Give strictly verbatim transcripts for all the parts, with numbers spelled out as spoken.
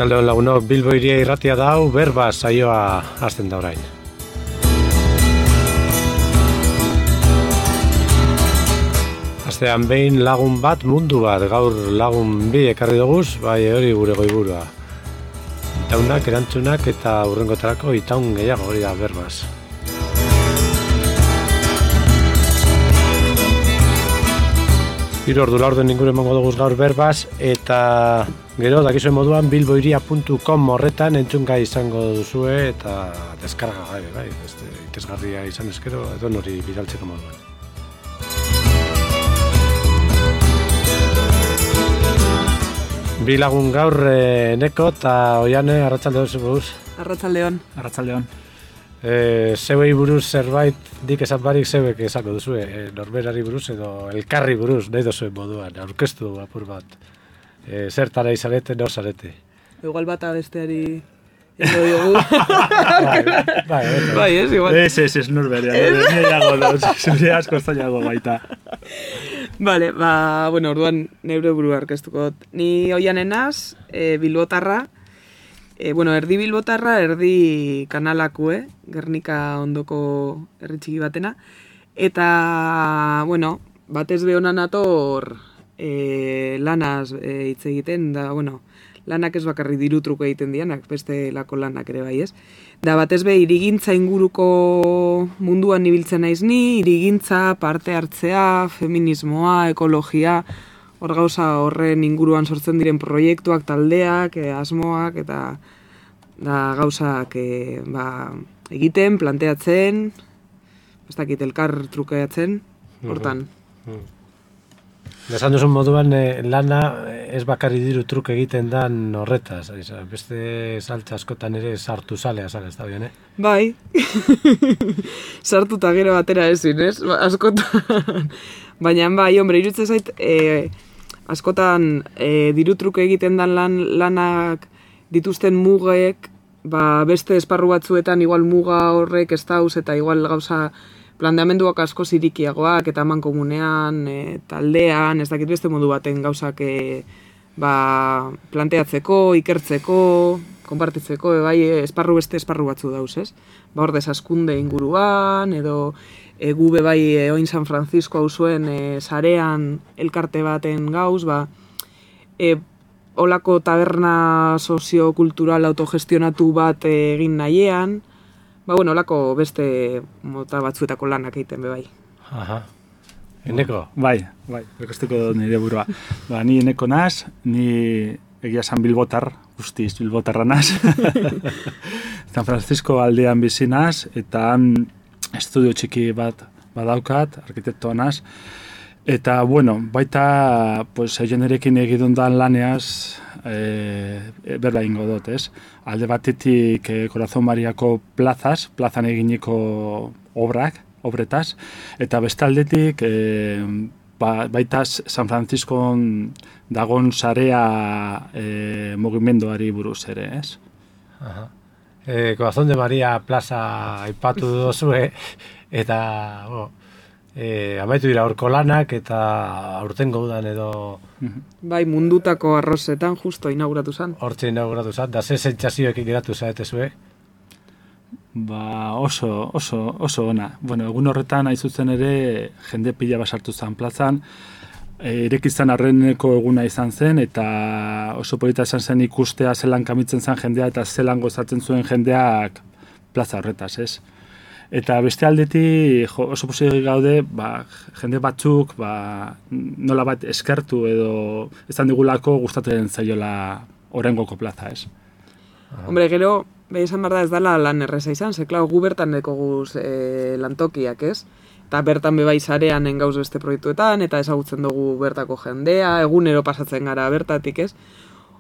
Arratsaldeon lagunok, Bilbo Hiria irratia da hau, berba saioa hasten da orain. Astean behin lagun bat, mundu bat, gaur lagun bi ekarri duguz, bai hori gure goiburua. Itaunak, erantzunak eta hurrengotarako itaun gehiago hori da berbaz. Hiru ordu laurden inguru emango duguz gaur berbaz, eta gero dakizuen moduan bilbohiria puntu com horretan entzungai izango duzue eta deskarga gabe, bai, este, itesgarria izan eskero, edo nori bidaltzeko moduan. Bi lagun gaur eh, Neko eta Oiane, arratsaldeon zebuz. Arratsaldeon. Arratsaldeon. Eh, zeuei buruz zerbait dik esan barik zeuek esako duzue, eh, norberari buruz edo elkarri buruz, nahi duzuen moduan, aurkeztu apur bat. Eh, zertara izarete, nor zarete. Igual bata besteari ego diogu. bai, bai, bai, ez, igual. Ez, ez, ez, norberia. Zure asko zailago baita. Vale, ba, bueno, orduan neure burua aurkeztuko. Ni Oiane naz, e, bilbotarra, e, bueno, erdi bilbotarra, erdi kanalakue, Gernika ondoko herri txiki batena, eta, bueno, batez behonan ator e, lanaz e, hitz egiten, da, bueno, lanak ez bakarri diru truko egiten dianak, beste lako lanak ere bai ez. Da batez be, hirigintza inguruko munduan ibiltzen naiz ni, hirigintza, parte hartzea, feminismoa, ekologia, hor gauza horren inguruan sortzen diren proiektuak, taldeak, e, asmoak, eta da gauzak e, ba, egiten, planteatzen, ez dakit elkar trukeatzen, hortan. Uh-huh. Esan duzun moduan, eh, lana ez bakarri diru truk egiten dan horretaz, beste saltza askotan ere sartu zalea zara, ez da bien, eh? Bai, sartu eta gero batera ezin, ez? Ba, askotan, baina bai, hombre, irutzen zait, eh, askotan eh, diru truk egiten dan lan, lanak dituzten mugek, ba, beste esparru batzuetan igual muga horrek ez dauz eta igual gauza planteamenduak asko zirikiagoak eta eman komunean, e, taldean, ez dakit beste modu baten gauzak e, ba, planteatzeko, ikertzeko, konpartitzeko, e, bai, esparru beste esparru batzu dauz, ez? Ba, hor desaskunde inguruan, edo e, gube bai e, oin San Francisco hau zuen e, sarean elkarte baten gauz, ba, e, olako taberna soziokultural autogestionatu bat e, egin nahiean, ba, bueno, olako beste mota batzuetako lanak egiten be bai. Aha. Eneko? Bai, bai, berkosteko nire burua. Ba, ni Eneko naz, ni egia san bilbotar, guztiz bilbotarra naz. San Francisco aldean bizi naz, eta han estudio txiki bat badaukat, arkitektoa naz. Eta, bueno, baita, pues, jenerekin egidundan laneaz, e, berla ingo dut, ez? Alde batetik e, Corazon Mariako plazaz, plazan eginiko obrak, obretaz, eta beste aldetik, e, ba, baita San Franciscon dagon sarea e, mugimenduari buruz ere, ez? Aha. E, Corazon de Maria plaza aipatu duzue, eta, bo, E, amaitu dira horko lanak eta aurten gaudan edo... Bai, mundutako arrozetan justo inauguratu zen. Hortxe inauguratu zen, da ze sentsazioekin geratu zaete zue? Ba, oso, oso, oso ona. Bueno, egun horretan aizutzen ere jende pila basartu zen plazan, irekizan arreneko eguna izan zen, eta oso polita izan zen ikustea zelan kamitzen zen jendea eta zelan gozatzen zuen jendeak plaza horretaz, ez? Eta beste aldetik jo, oso posik gaude, ba, jende batzuk ba, nola bat eskertu edo ezan digulako gustatu zaiola orengoko plaza, ez? Hombre, gero, behi esan behar da ez dala lan erreza izan, ze, klar, gu bertan deko guz e, lantokiak, ez? Eta bertan bebai zarean engauz beste proiektuetan, eta ezagutzen dugu bertako jendea, egunero pasatzen gara bertatik, ez?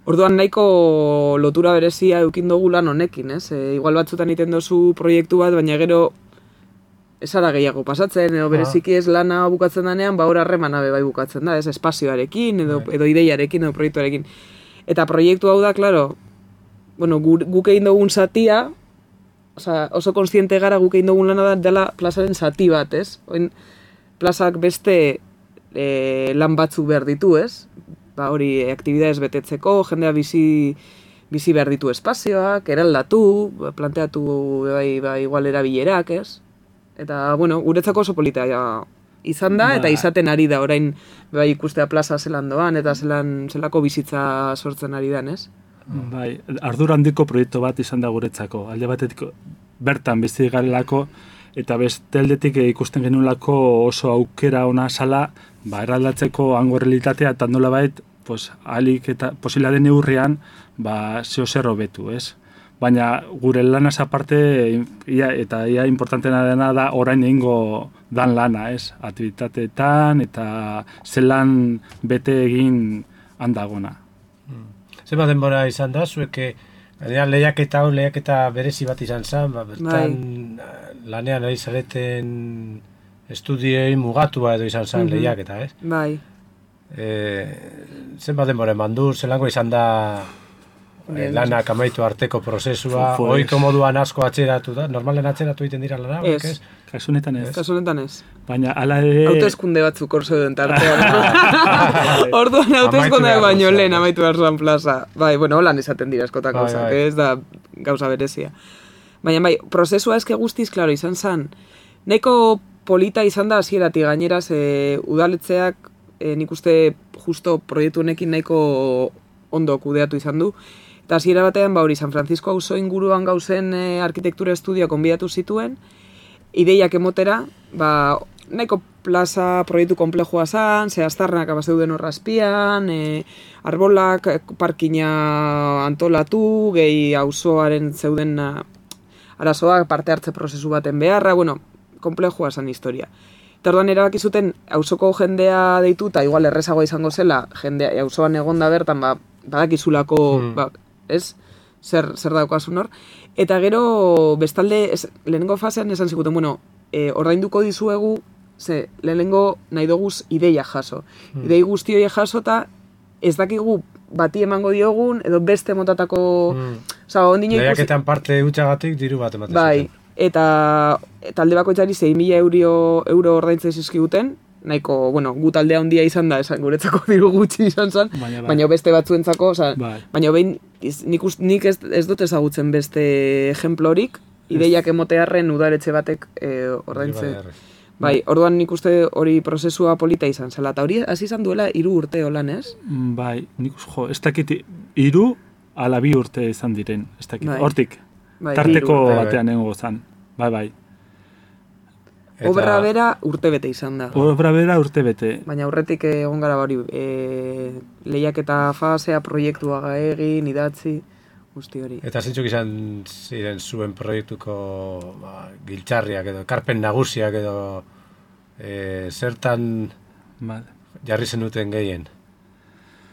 Orduan nahiko lotura berezia eukin dugu lan honekin, ez? E, igual batzutan iten dozu proiektu bat, baina gero esara gehiago pasatzen, edo bereziki ez lana bukatzen danean, ba hor harremana be bai bukatzen da, ez? Espazioarekin, edo, edo ideiarekin, edo proiektuarekin. Eta proiektu hau da, klaro, bueno, guk egin dugun zatia, oza, oso kontziente gara guk egin dugun lana da dela plazaren zati bat, ez? Oin, plazak beste e, lan batzu behar ditu, ez? Ba hori, aktibidades betetzeko, jendea bizi bizi behar ditu espazioak, eraldatu, planteatu bai, bai, igual erabilerak, ez? Eta, bueno, guretzako oso polita ja, izan da, ba. Eta izaten ari da, orain bai ikustea plaza zelan doan, eta zelan, zelako bizitza sortzen ari dan, ez? Bai, ardura handiko proiektu bat izan da guretzako. Alde batetik bertan bizi garelako, eta beste aldetik ikusten genuelako oso aukera ona sala, ba, eraldatzeko hango realitatea, eta nola bait, pues, alik eta posila den neurrian, ba, zeo zer hobetu, ez? Baina gure lanaz aparte, ia, eta ia importantena dena da orain egingo dan lana, ez? Aktivitateetan eta zelan bete egin handagona. Hmm. Zenbat denbora izan da, zueke lehiaketa hau, lehiaketa berezi bat izan zen, ba, bertan bai. Lanean ari zareten estudioi mugatua edo izan zen mm-hmm. lehiaketa, ez? Bai. E, zenbat denbora eman du, zelango izan da e, lanak amaitu arteko prozesua, ohiko moduan asko atzeratu da, normalen atzeratu egiten dira lana? Ez. Kasunetan ez. Kasunetan ez. Baina ala ere... Hauteskunde batzuk hor zeuden tartean. Orduan hauteskundeak baino lehen amaitu behar plaza. Bai, bueno, holan esaten dira askotan gauzak, bai, bai. Ez da gauza berezia. Baina bai, prozesua eske guztiz, klaro, izan zen, nahiko polita izan da hasieratik gainera, ze udaletzeak e, nik uste justo proiektu honekin nahiko ondo kudeatu izan du. Eta hasiera batean, ba hori, San Francisco auzo inguruan gauzen e, arkitektura estudioa konbidatu zituen, ideiak emotera, ba, nahiko plaza proiektu komplejua zan, ze aztarnak abazeuden horrazpian, e, arbolak, parkina antolatu, gehi auzoaren zeuden arazoak parte hartze prozesu baten beharra, bueno, komplejua zan historia. Eta orduan erabaki zuten auzoko jendea deitu, eta igual errezagoa izango zela, jendea auzoan egonda bertan, ba, badakizulako, hmm. ba, ez? Zer, zer daukasun hor. Eta gero, bestalde, ez, lehenengo fasean esan zikuten, bueno, e, ordainduko dizuegu, ze, lehenengo nahi doguz ideia jaso. Hmm. Idei guzti hori jaso, eta ez dakigu bati emango diogun, edo beste motatako... Hmm. Osa, ondino ikusi... Lehiaketan parte utxagatik diru bat ematen bai, zuten. Eta, eta alde bakoitzari sei mila euro, euro ordaintzen zizkiguten, nahiko, bueno, gu taldea handia izan da, esan guretzako diru gutxi izan zen, baina, baina beste batzuentzako, oza, bai. Baina behin, nik, nik ez, ez dut ezagutzen beste ejemplorik, ideiak emotearren udaletxe batek e, ordaintzen. Bai, orduan nik uste hori prozesua polita izan zela, eta hori hasi izan duela hiru urte holan, ez? Bai, nik uste, jo, ez dakit hiru ala bi urte izan diren, ez dakit, bai. Hortik, bai, tarteko batean nengo zan, bai, bai. Eta... Obra bera urte bete izan da. Obra bera urte bete. Baina aurretik egon gara hori, e, lehiaketa fasea, proiektua egin, idatzi, guzti hori. Eta zintzuk izan ziren zuen proiektuko ba, giltzarriak edo, karpen nagusiak edo, e, zertan Mal. jarri zenuten gehien?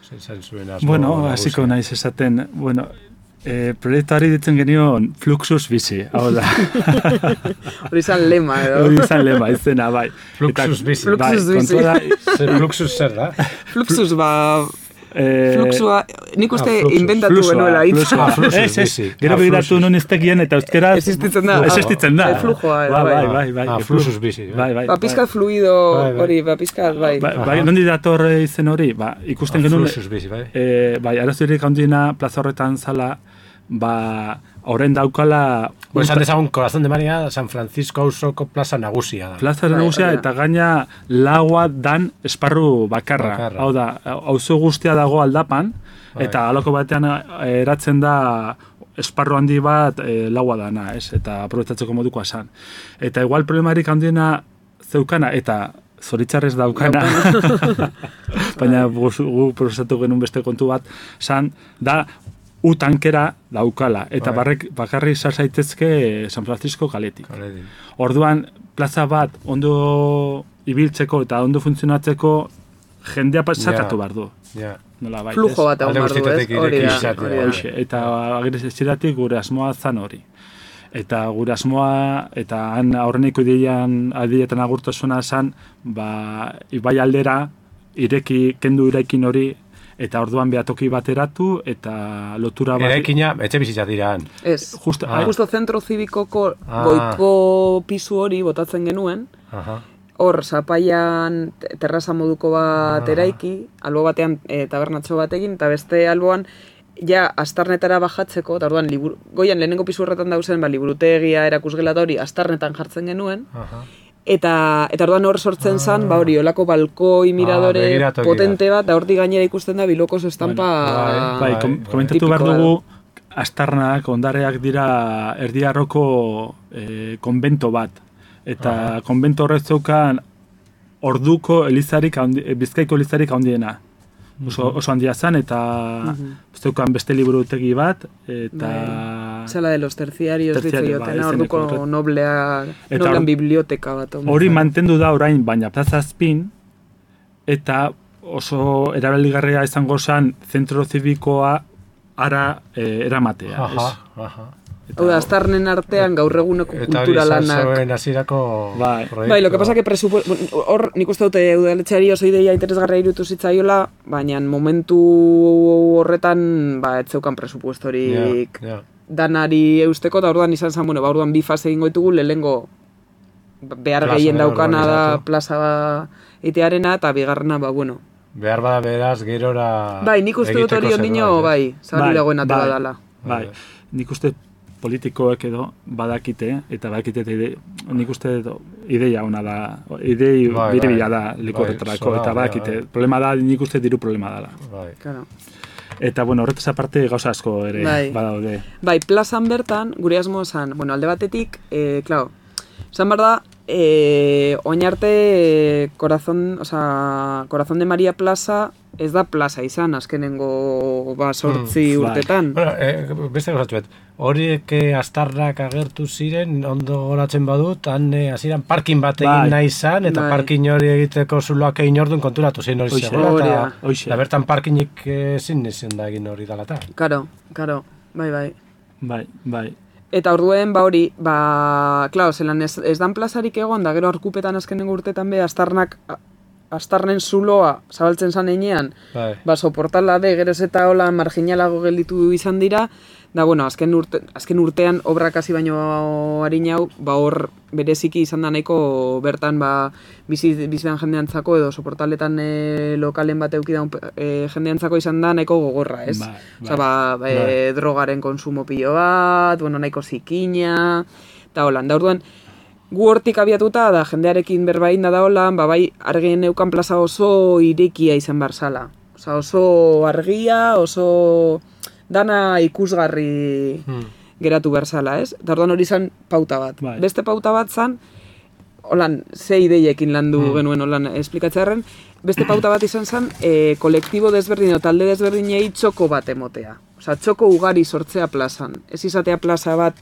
Zer zuen asmo bueno, nagusia? hasiko naiz esaten, bueno, E, proiektuari ditzen genion Fluxus bizi, hau da. Hori izan lema, edo. Hori izan lema, izena, bai. Fluxus bizi. Fluxus bizi. Zer Fluxus zer da? Fluxus, ba... Eh, fluxua, nik uste ah, inventatu genuela hitz. Ah, fluxus bizi. Gero begiratu non ez tekien eta euskera... Existitzen da. Existitzen da. Flujoa, bai, bai, bai, bai. Ah, fluxus bizi. Bai, bai. Ba, pizkat fluido hori, ba, pizkat, bai. Bai, nondi dator izen hori, ba, ikusten genuen... Fluxus bizi, bai. Bai, arazoirik handiena plaza horretan zala, ba, horren daukala... Bo, esan dezagun, Corazón de Maria, San Francisco auzoko plaza nagusia da. Plaza nagusia, eta gaina lagoa dan esparru bakarra. bakarra. Hau da, auzo guztia dago aldapan, bai. Eta aloko batean eratzen da esparru handi bat e, lagoa dana, ez? Eta aprobetzatzeko modukoa esan. Eta igual problemarik handiena zeukana, eta zoritzarrez daukana, baina gu, gu prozesatu genuen beste kontu bat, san, da, U tankera daukala, eta barrek, bakarri sar zaitezke San Francisco kaletik. Kaleti. Orduan, plaza bat ondo ibiltzeko eta ondo funtzionatzeko jendea pasakatu yeah. behar du. Yeah. Nola bai, Flujo bat egon behar du, ez? Hori da, hori da. Eta agresiziratik gure asmoa zan hori. Eta gure asmoa, eta han aurreneko ideian, adietan agurtasuna zan, ba, ibai aldera, ireki, kendu irekin hori, eta orduan behatoki bateratu, eta lotura bat... Eraikina, etxe bizitza diraan. Ez, justo, ah. justo zentro zibikoko ah. goiko pisu hori botatzen genuen, Aha. hor, zapaian terraza moduko bat ah. eraiki, albo batean e, tabernatxo bat egin, eta beste alboan ja astarnetara bajatzeko, eta orduan liburu, goian lehenengo pisu horretan dauzen, ba, liburutegia erakusgelata hori astarnetan jartzen genuen, Aha. eta eta orduan hor sortzen Ah. zan, ba hori, olako balkoi miradore Ah, begiratokia. potente bat, da hortik gainera ikusten da Bilokos estampa Bueno, Bai, kom- bai. komentatu behar tipikoa dugu, astarnak, ondareak dira erdiarroko eh, konbento bat. Eta Aha. konbento horrek zeukan orduko elizarik, handi, eh, bizkaiko elizarik handiena. Oso, oso handia zen, eta zeukan beste liburutegi bat, eta... Zela de los terciarios, Terciario, ditzaioten, bai, orduko izeneko, noblea, Eta noblean hor- biblioteka bat. omen Hori zen. mantendu da orain, baina plazazpin, eta oso erabeligarria izango zen zentro zibikoa ara eh, eramatea. Aha, ez? aha. Eta- Hau da, astarnen artean gaur eguneko Eta hori kultura izan lanak. zuen hasierako Bai. proiektua. Bai, lo que pasa que presupuesto, hor nik uste dute udaletxeari oso ideia interesgarria irutu zitzaiola, baina momentu horretan ba ez zeukan presupuestorik Ja, ja. danari eusteko, eta orduan izan zen, bueno, ba orduan bi fase egingo ditugu, lehenengo behar Plaza gehien edo daukana da urbanizatu. plaza itearena, eta bigarrena, ba, bueno. Behar bada beraz, gerora... Bai, nik uste dut egiteko hori ondino, zerbait, bai, ez? zabali dagoen ate bai, badala. Bai, nik uste politikoek edo badakite, eta badakite, eta ide, nik uste dut ideia ona da, idei Bai, biribila bai. da likorretarako, Bai, eta zora, badakite, bai, bai. problema da, nik uste diru problema dela. Bai. Claro. Eta, bueno, horretaz aparte gauza asko ere Bai. badaude. Bai, plazan bertan, gure asmo zan, bueno, alde batetik, eh, claro, zan behar da, eh, oin arte, eh, corazón, o sea, Corazón de María plaza, ez da plaza izan, azkenengo, ba, sortzi Mm, bai. urtetan. Bueno, eh, beste gauzatu bet, horiek eh, astarrak agertu ziren, ondo goratzen badut, han eh, hasieran parkin bat egin Bai. nahi izan, eta Bai. parkin hori egiteko zuloak egin ordun konturatu ziren hori Hoxe. zegoela, Hori eta, da. Hoxe. eta bertan parkinik eh, ezin izan da egin hori dalata. Karo, karo, bai, bai. Bai, bai. Eta orduen, ba hori, ba, klaro, zelan ez, ez dan plazarik egon, da gero arkupetan azkenengo urtetan be, astarnak, astarnen zuloa zabaltzen zan einean, Bai. ba, soportala be, geroz eta hola marginalago gelditu izan dira, da, bueno, azken, urte, azken urtean obrak hasi baino harinau, ba, hor bereziki izan da nahiko bertan, ba, bizi, bizidan jendeantzako edo soportaletan e, lokalen bat eukidan e, jendeantzako izan da nahiko gogorra, ez? Bai, Osea, ba, e, Bai. drogaren konsumo pilo bat, bueno, nahiko zikina, eta holan, da orduan, gu hortik abiatuta, da jendearekin berbain da da holan, ba, bai, argien neukan plaza oso irekia izan barzala. Osea, oso argia, oso dana ikusgarri Hmm. geratu berzala, ez? Eta orduan hori izan pauta bat. Bai. Beste pauta bat zan, holan, ze ideiekin landu Hmm. genuen holan esplikatzearen, beste pauta bat izan zen, e, kolektibo desberdin, o talde desberdinei txoko bat emotea. Osea, txoko ugari sortzea plazan. Ez izatea plaza bat,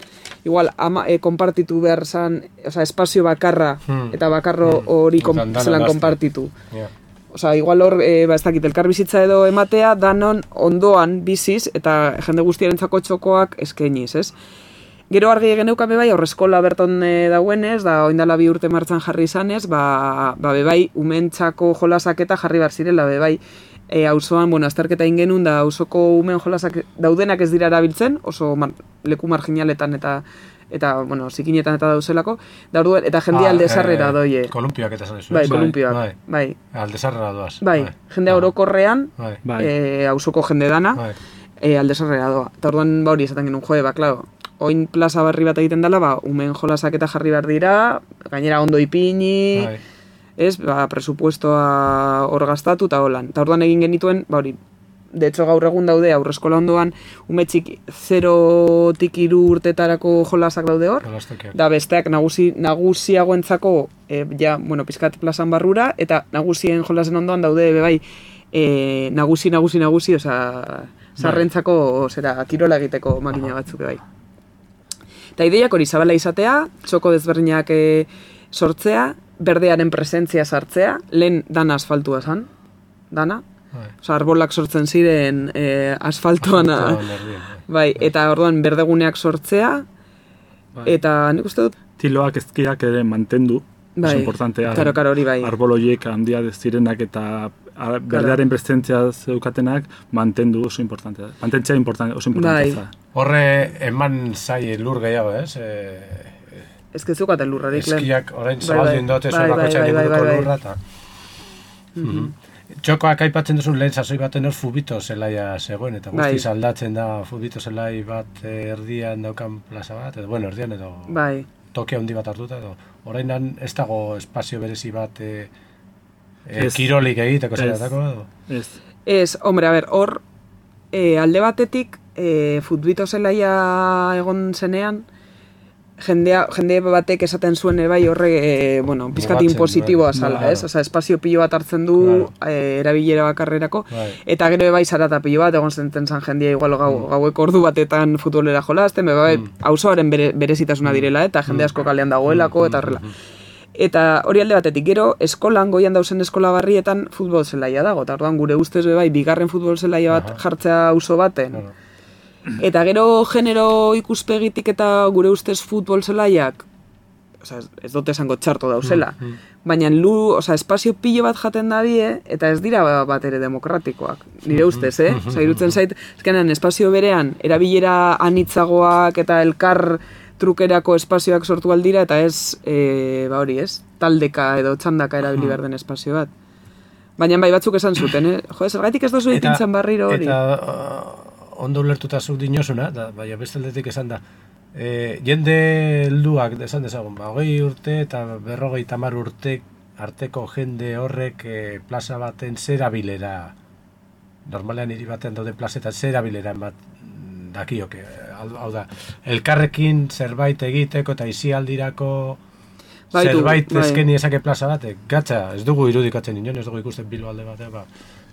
igual, ama, e, konpartitu behar zan, osea, espazio bakarra, Hmm. eta bakarro Hmm. hori kon, Izan dana zelan laster. konpartitu. Ja. Osea, igual hor, e, ba, ez dakit, elkar bizitza edo ematea, danon ondoan biziz, eta jende guztiarentzako txokoak eskainiz, ez? Gero argi geneukan bebai, aurreskola berton e, dauenez, da oindala bi urte martzan jarri izanez, ba, ba bebai, umentzako jolasak eta jarri bar zirela, bebai, e, auzoan, bueno, azterketa ingenun, da auzoko umen jolasak daudenak ez dira erabiltzen, oso mar, leku marginaletan eta, eta bueno, zikinetan eta dauzelako, da orduan, eta jendia Ah, alde sarrera eh, doie. Kolumpiak eta zan Bai, bai, kolumpioak, bai. bai. Alde sarrera doaz. Bai, jendea orokorrean, Bai. Bai. e, auzoko jende dana, Bai. e, alde sarrera doa. Eta orduan, ba hori esaten genuen, joe, ba, klaro, oin plaza barri bat egiten dela, ba, umen jolasak eta jarri behar dira, gainera ondo ipini, Bai. ez, ba, presupuestoa hor gastatu eta holan. Eta orduan egin genituen, ba hori, de hecho gaur egun daude aurreskola ondoan, ume txiki zerotik hiru urtetarako jolasak daude hor, Jolastokiak. da besteak nagusi, nagusiagoentzako, e, ja, bueno, pizkat plazan barrura, eta nagusien jolasen ondoan daude, be bai, e, nagusi, nagusi, nagusi, osea, sarrentzako, zera, kirola egiteko makina batzuk, bai. Eta ideiak hori zabala izatea, txoko desberdinak e, sortzea, berdearen presentzia sartzea, lehen dana asfaltua zan, dana, Bai. osea, arbolak sortzen ziren e, asfaltoan, Asfaltoan erdien, bai, eta orduan berdeguneak sortzea, Bai. eta nik uste dut, Tiloak ezkiak ere mantendu, bai, oso importantea. karo, karo, hori bai. Arbol horiek handia zirenak eta a- berdearen presentzia zeukatenak mantendu oso importantea. Mantentzea important, oso importantea. Bai. da. Horre eman zai lur gehiago, ez? E, Ez que zukaten lurrarik lehen. eskiak orain Bai, zabaldin bai. dote Bai, zuen bai, bakoitzak bai, bai, inguruko bai, bai. lurra, eta... Mhm. Txokoak aipatzen duzun lehen sasoi baten hor Fubito zelaia zegoen, eta guztiz Bai. aldatzen da Fubito zelai bat eh, erdian daukan plaza bat, edo bueno, erdian edo Bai. toki handi bat hartuta, edo orainan ez dago espazio berezi bat eh, eh, Ez. kirolik egiteko Ez. zeratako, edo? Ez. Ez, hombre, a ber, hor, e, alde batetik, e, futbito zelaia egon zenean, jendea, jende batek esaten zuen ere bai horre, e, bueno, pizkat Mugatzen, inpositiboa bai. zala, Claro. ez? Osa, espazio pilo bat hartzen du Claro. e, erabilera bakarrerako, Bai. eta gero bai zarata pilo bat, egon zenten zan jendea igual gau, Mm. gaueko ordu batetan futbolera jolasten, be, bai, Mm. auzoaren bere, berezitasuna direla, eta jende asko kalean dagoelako, eta horrela. Eta hori alde batetik, gero, eskolan, goian dausen eskola barrietan futbol zelaia dago, eta orduan gure ustez be bai, bigarren futbol zelaia bat Aha. jartzea auzo baten. Claro. Eta gero genero ikuspegitik eta gure ustez futbol zelaiak, osea, ez- ez dut esango txarto dauzela, Mm, mm. baina lu, osea, espazio pilo bat jaten dabie, eta ez dira ba- bat ere demokratikoak, nire ustez, eh? Osea, irutzen zait, ezkenean espazio berean, erabilera anitzagoak eta elkar trukerako espazioak sortu aldira, eta ez, e, ba hori, ez? Taldeka edo txandaka erabili behar den espazio bat. Baina bai batzuk esan zuten, eh? Jo, zergatik ez dozu ipintzen barriro hori. Eta uh, ondo ulertuta zuk dinosuna, da, baina beste aldetik esan da, e, jende helduak, esan dezagun, ba, hogei urte eta berrogei tamar urte arteko jende horrek e, plaza baten zerabilera, normalean hiri baten dauden plazetan zerabilera bat dakioke, hau hau da, elkarrekin zerbait egiteko eta isialdirako Baitu, zerbait bai. eskeni esake plaza batek, gatza, ez dugu irudikatzen inon, ez dugu ikusten Bilbo alde batean, ba,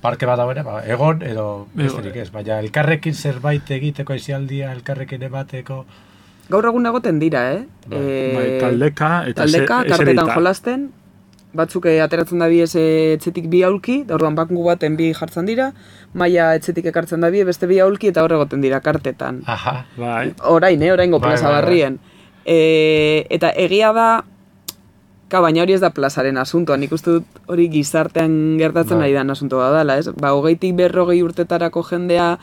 parke bat dagoena, ba, egon edo besterik ez, baina elkarrekin zerbait egiteko isialdia, elkarrekin emateko, Gaur egun egoten dira, eh? Bai, Eh, Bai, taldeka eta taldeka, ze- kartetan eserita. jolasten, batzuk eh, ateratzen da biez etxetik bi aulki, da orduan bakungu baten bi jartzen dira, maila etxetik ekartzen da bie, beste bi aulki eta hor egoten dira kartetan. aha, Bai. Orain, eh, oraingo Bai, plaza bai, bai. barrien. E, eta egia da, ka, baina hori ez da plazaren asuntoa, nik uste dut hori gizartean gertatzen Bai. ari dan asuntoa dela, ez? Ba, hogeitik berrogei urtetarako jendea,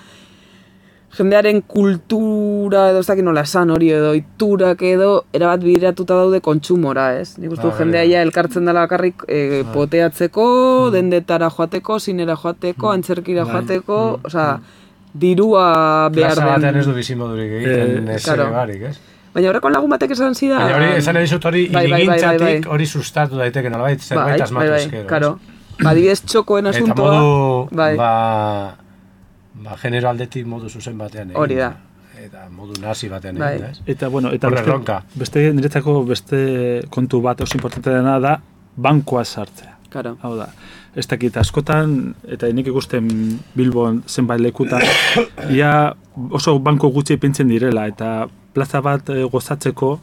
jendearen kultura edo ez dakit nola esan hori edo iturak edo erabat bideratuta daude kontsumora, ez? Nik uste dut Ah, jendea bai, bai. ja elkartzen dela bakarrik e, poteatzeko, dendetara joateko, zinera joateko, antzerkira Bai. joateko, osea, dirua behar plaza batean ez den. du bizimodurik egiten Eh, ez claro. ere barik, ez? Baina horreko lagun batek esan zidan... Baina hori, esan nahi dizut hori, Bai, bai, bai, bai, hirigintzatik bai. hori sustatu daiteke nolabait, zerbait asmatu bai, ezkero. karo. Ba, adibidez txokoen Eta asuntoa... modu, bai. ba, ba, genero aldetik modu zuzen batean egin. Hori da. Eta modu nazi batean Bai. egin, da, ez? Eta, bueno, eta Horre beste, erronka. beste, niretzako beste kontu bat oso importante dena da, bankoa sartzea. Karo. Hau da, ez dakit askotan, eta nik ikusten Bilbon zenbait lekutan, ia oso banko gutxi ipintzen direla, eta plaza bat eh, gozatzeko,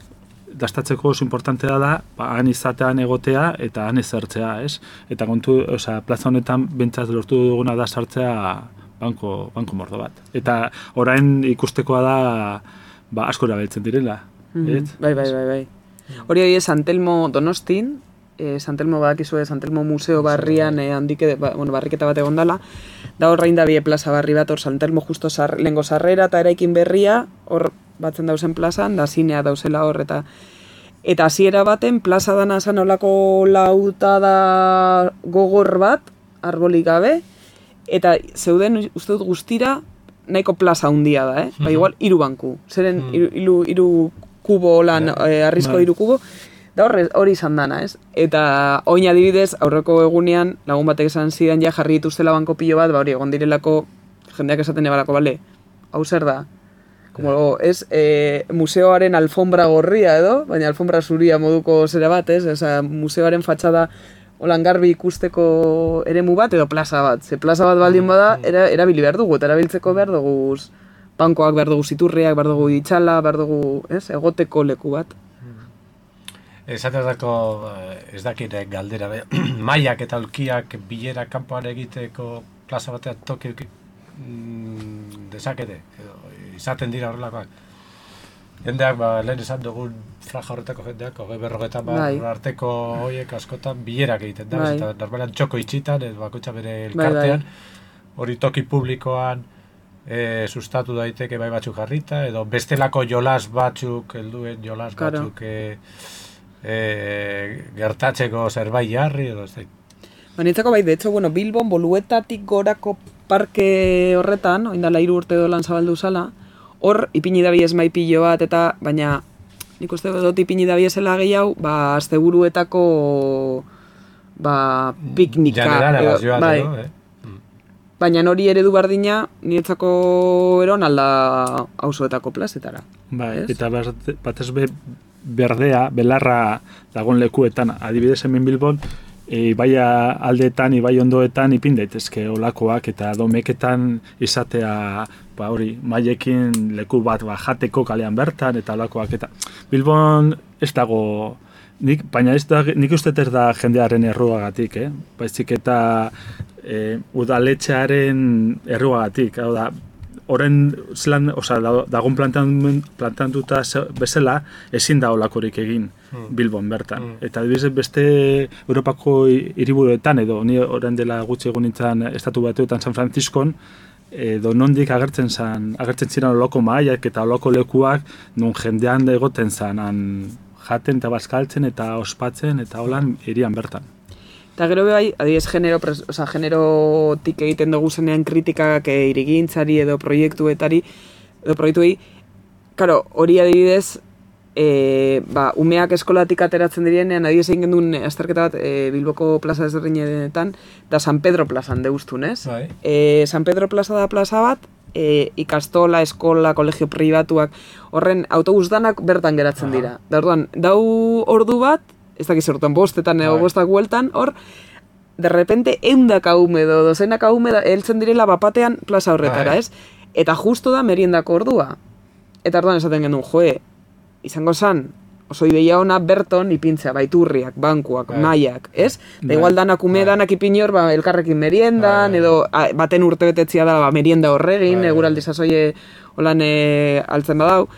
dastatzeko oso importantea da, ba, han izatean egotea eta han ezertzea, ez? Eta kontu, osea, plaza honetan bentsat lortu duguna da sartzea banko, banko mordo bat. Eta orain ikustekoa da, ba, asko erabiltzen direla, Mhm. ez? Bai, bai, bai, bai. Hori hori Santelmo Donostin, eh, Santelmo badakizue Santelmo Museo barrian eh, handike, ba, bueno, barriketa bat egon dala, da horrein da bie plaza barri bat, hor Santelmo justo sar, lehengo sarrera eta eraikin berria, hor batzen dauzen plazan, da zinea dauzela hor, eta eta hasiera baten plaza dana zan olako lautada gogor bat, arbolik gabe, eta zeuden uste dut guztira nahiko plaza handia da, eh? Ba, igual hiru banku. Zeren hiru hiru hiru kubo lan, eh, arrizko Bai. hiru kubo, da horre, hori izan dana, ez? Eta oin adibidez, aurreko egunean, lagun batek esan zidan ja jarri dituztela banko pilo bat, ba hori, egon direlako, jendeak esaten ebalako, bale, hau zer da? Como, ez, e, museoaren alfombra gorria edo, baina alfombra zuria moduko zera bat, ez? Osa, museoaren fatxada holan garbi ikusteko eremu bat edo plaza bat. Ze plaza bat baldin bada, era, erabili behar dugu, eta erabiltzeko behar dugu bankoak, behar dugu ziturriak, behar dugu itxala, behar dugu, ez, egoteko leku bat. Esatezako, ez dakit eh, galdera, be, mailak eta aulkiak bilera kanpoan egiteko plaza batean toki mm, dezakete, edo, izaten dira horrelakoak. Jendeak, ba, lehen esan dugun franja horretako jendeak, hogei berrogetan ba, Bai. arteko horiek askotan bilerak egiten da, Bai. eta normalan txoko itxitan, edo bakoitza bere Bai, bai. elkartean, hori toki publikoan e, sustatu daiteke bai batzuk jarrita, edo bestelako jolas batzuk, helduen jolas Claro. batzuk e, e, gertatzeko zerbait jarri, edo ez da. Ba, nintzako bai, de hecho, bueno, Bilbon Boluetatik gorako parke horretan, oindala hiru urte dolan zabaldu zala, hor ipini dabiez maipillo bat, eta baina nik uste dut ipini dabiezela gehiago, ba, asteburuetako ba, piknika. Generala, bai. edo, eh? Baina hori eredu bardina, niretzako eron alda auzoetako plazetara. Bai, ez? eta batez be berdea, belarra dagoen lekuetan, adibidez hemen Bilbon, e, ibaia aldeetan, ibai ondoetan ipin daitezke olakoak eta domeketan izatea ba hori, mailekin leku bat ba, jateko kalean bertan eta olakoak eta Bilbon ez dago nik, baina ez da, nik uste ez da jendearen erruagatik, eh? Baizik eta e, udaletxearen erruagatik, hau da, horren zelan, oza, dagoen plantantuta bezala, ezin da olakorik egin Bilbon bertan. Mm. Eta adibidez beste Europako hiriburuetan edo, ni horren dela gutxi egun nintzen estatu batuetan San Franciscon, edo nondik agertzen zan, agertzen ziren oloko mahaiak eta oloko lekuak, nun jendean egoten zan, jaten eta bazkaltzen eta ospatzen eta holan hirian bertan. Eta gero bai, adibidez, genero, oza, generotik egiten dugu zenean kritikak e, irigintzari edo proiektuetari, edo proiektuei, karo, hori adibidez, e, ba, umeak eskolatik ateratzen direnean, adibidez egin gendun azterketa bat e, Bilboko plaza ezberdinetan, da San Pedro plazan deustun, ez? Bai. E, San Pedro plaza da plaza bat, e, ikastola, eskola, kolegio pribatuak, horren autobus danak bertan geratzen dira. Da orduan, dau ordu bat, ez dakiz orduan bostetan edo bostak bueltan, hor, de repente eundak aume edo dozenak aume heltzen direla bapatean plaza horretara, ez? Eta justo da meriendako ordua. Eta orduan esaten genuen, joe, izango zan, oso ideia ona berton ipintzea, baiturriak, bankuak, maiak, ez? Da igual danak ume, danak ipin hor, ba, elkarrekin meriendan, edo a, baten urtebetetzia da, ba, merienda horregin, eguraldi sasoie holan e, altzen badau.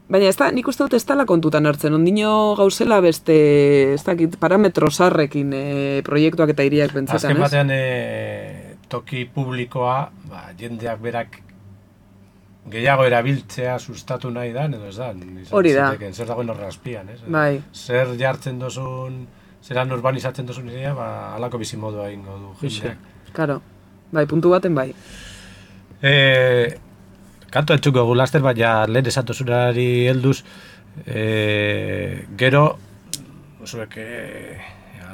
Baina ez da, nik uste dut ez dela kontutan hartzen, ondino gauzela beste, ez dakit, parametro sarrekin e, proiektuak eta hiriak pentsetan, ez? Azken batean e, toki publikoa, ba, jendeak berak gehiago erabiltzea sustatu nahi da, edo ez da? Hori da. Ziteken, zer dagoen horra azpian, ez? Bai. Zer jartzen dozun, zeran urbanizatzen dozun idea, ba, alako bizimodua ingo du jendeak. Karo, bai, puntu baten bai. Eh... Kanto entzuko gu laster, baina lehen esatozunari helduz, e, gero, zuek e,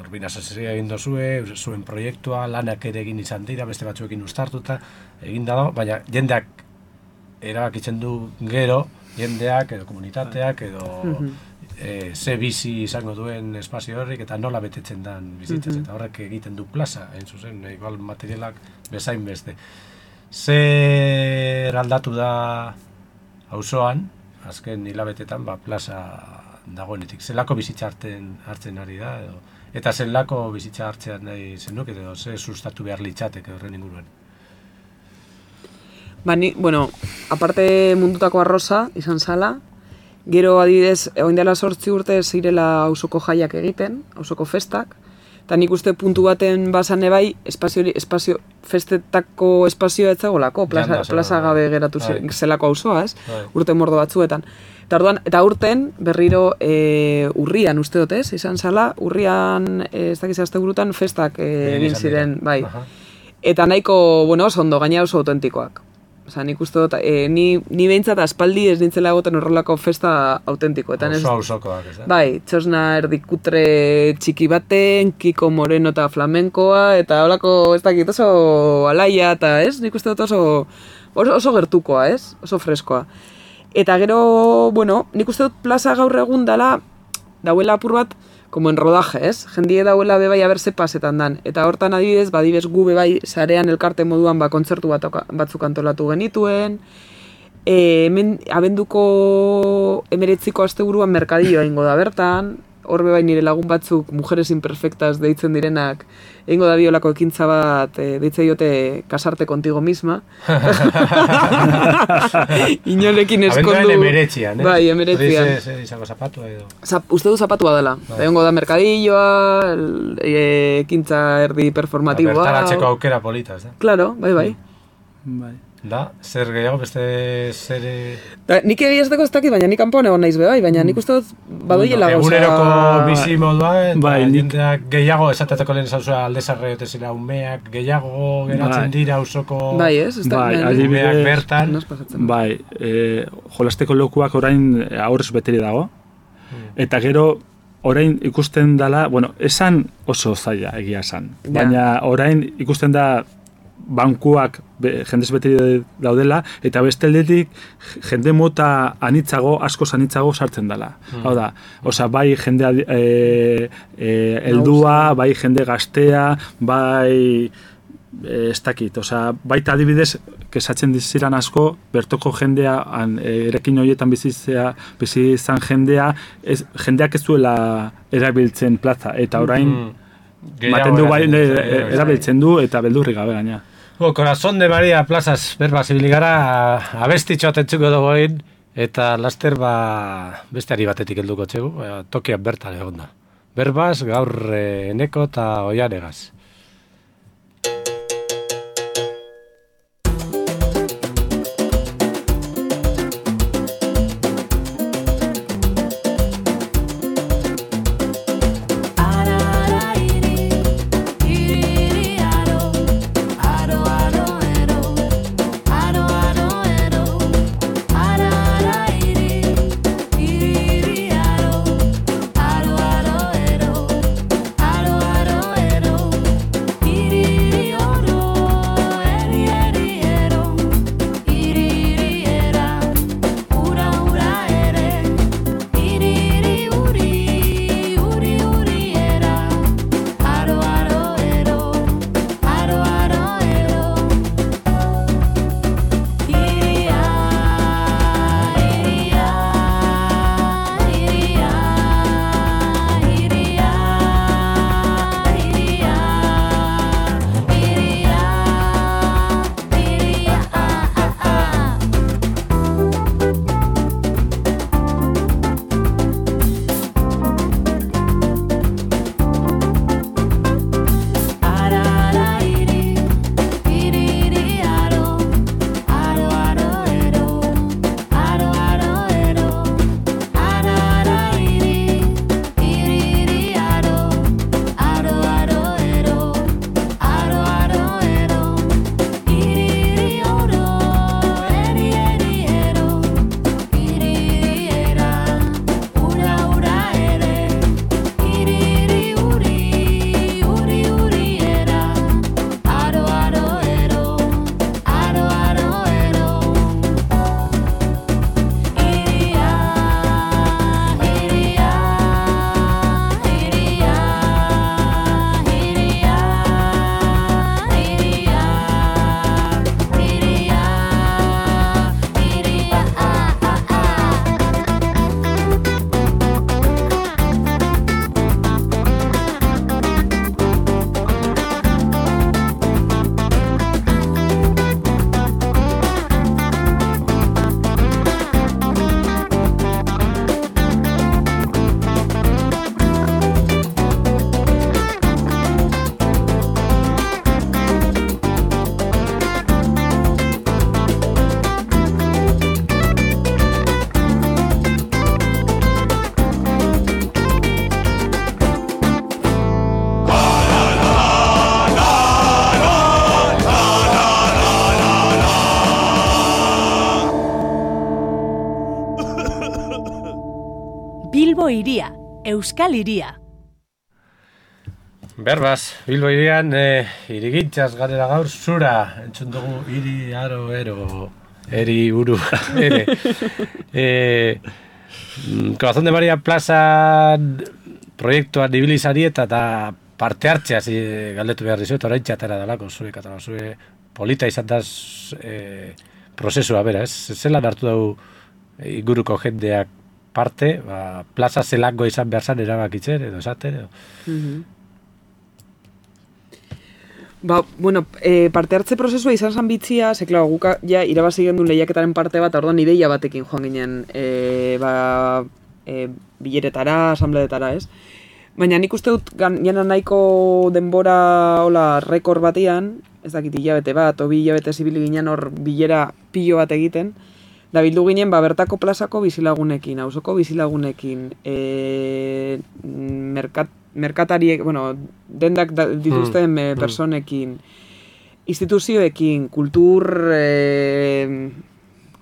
urbina sazia egin dozue, zuen proiektua, lanak ere egin izan dira, beste batzuekin uztartuta, egin dago, baina jendeak erabakitzen du gero, jendeak edo komunitateak edo e, ze bizi izango duen espazio horrik eta nola betetzen dan bizitzaz, eta horrek egiten du plaza, hain zuzen, igual materialak bezain beste. Zer aldatu da auzoan, azken hilabetetan, ba, plaza dagoenetik. Zelako bizitza hartzen, hartzen ari da, edo, eta zelako bizitza hartzean nahi zenuk, edo ze sustatu behar litzateke horren inguruen. Ba, ni, bueno, aparte mundutako arroza izan zala, gero adibidez, oin dela sortzi urte zirela auzoko jaiak egiten, auzoko festak, eta nik uste puntu baten bazane bai, espazio, espazio, festetako espazioa etzagolako, plaza, plaza gabe geratu zelako auzoa, ez? Urte mordo batzuetan. Eta orduan, eta urten, berriro e, urrian uste dut, ez? Izan zala, urrian, ez dakiz asteburutan, festak e, egin ziren, bai. Eta nahiko, bueno, oso ondo, gaina oso autentikoak. Osa, nik uste dut, e, ni, ni behintzat aspaldi ez nintzela egoten horrelako festa autentikoetan. Oso auzokoak, ez da? Bai, txosna erdikutre txiki baten, Kiko Moreno eta flamenkoa, eta holako, ez dakit, oso alaia, eta ez, nik uste dut oso, oso, oso gertukoa, ez? Oso freskoa. Eta gero, bueno, nik uste dut plaza gaur egun dela, dauela apur bat, como en rodaje, ez? Jendie dauela bebai aberse pasetan dan. Eta hortan adibidez, badibez gu bebai sarean elkarte moduan ba, kontzertu bat, batzuk antolatu genituen. E, hemen abenduko emeretziko asteburuan merkadilloa ingo da bertan. Hor bebai nire lagun batzuk, mujeres imperfectas deitzen direnak, egingo da biolako ekintza bat, e, deitze diote kasarte contigo misma. Inolekin eskondu... Abenduaren emeretzian, eh? Bai, emeretzian. Hori ze izango zapatua edo? Zap, uste du zapatua dela. Bai. Egongo da merkadilloa, ekintza erdi performatiboa. Bertaratzeko aukera polita, ez da? Claro, bai, bai. Bai. Da, zer gehiago, beste zer... Da, nik egiazteko ez dakit, baina nik kanpoan egon naiz be, bai, baina nik uste dut badoiela gauza... Eguneroko bizi modua, eta bai, jendeak gehiago, esatetako lehen zauzua aldezarre otezila umeak, gehiago geratzen bai. dira usoko bai, ez? ez da, bai, bai, umeak bertan. Bai, e, jolasteko lokuak orain aurrez beteri dago, hmm. eta gero orain ikusten dala, bueno, esan oso zaila egia esan, ja. Baina orain ikusten da bankuak be, jendez beteri daudela, eta beste aldetik jende mota anitzago, asko anitzago sartzen dela. Hmm. Hau da, osea, bai jende e, e, eldua, bai jende gaztea, bai ez dakit, osea, baita adibidez, kesatzen diziran asko, bertoko jendea, an, erekin horietan bizitzea, bizi izan jendea, ez, jendeak ez duela erabiltzen plaza, eta orain, mm. maten du bai, erabiltzen du, eta beldurri gabe gaina. Bo, Corazón de María plazaz, berba zibiligara, abestitxo atentzuko dugu eta laster ba, beste ari batetik helduko txegu, tokia bertan egon da. Berbaz, gaur eneko eta oianegaz. Bilbo hiria, Euskal Hiria. Berbaz, Bilbo hirian, e, irigintzaz garela gaur, zura, entzun dugu, hiri, aro, ero, eri, uru, ere. E, Corazón de María Plaza proiektuan ibilizari eta eta parte hartzea zi, galdetu behar dizu, eta orain txatera dalako, zure katala, zure polita izan da e, prozesua, bera, ez? Zelan hartu dugu inguruko jendeak parte, ba, plaza zelango izan behar zan erabakitzen, edo esaten, edo... Mm-hmm. Ba, bueno, e, parte hartze prozesua izan zan bitzia, ze, klar, guka ja irabazi gendun lehiaketaren parte bat, orduan ideia batekin joan ginen, e, ba, e, bileretara, asambleetara, ez? Baina nik uste dut, gan, jana nahiko denbora, hola, rekord batean, ez dakit hilabete bat, o bi hilabete zibili ginen hor bilera pilo bat egiten, da bildu ginen, ba, bertako plazako bizilagunekin, auzoko bizilagunekin, e, merkat, merkatariek, bueno, dendak da, dituzten mm, mm. personekin, instituzioekin, kultur, e,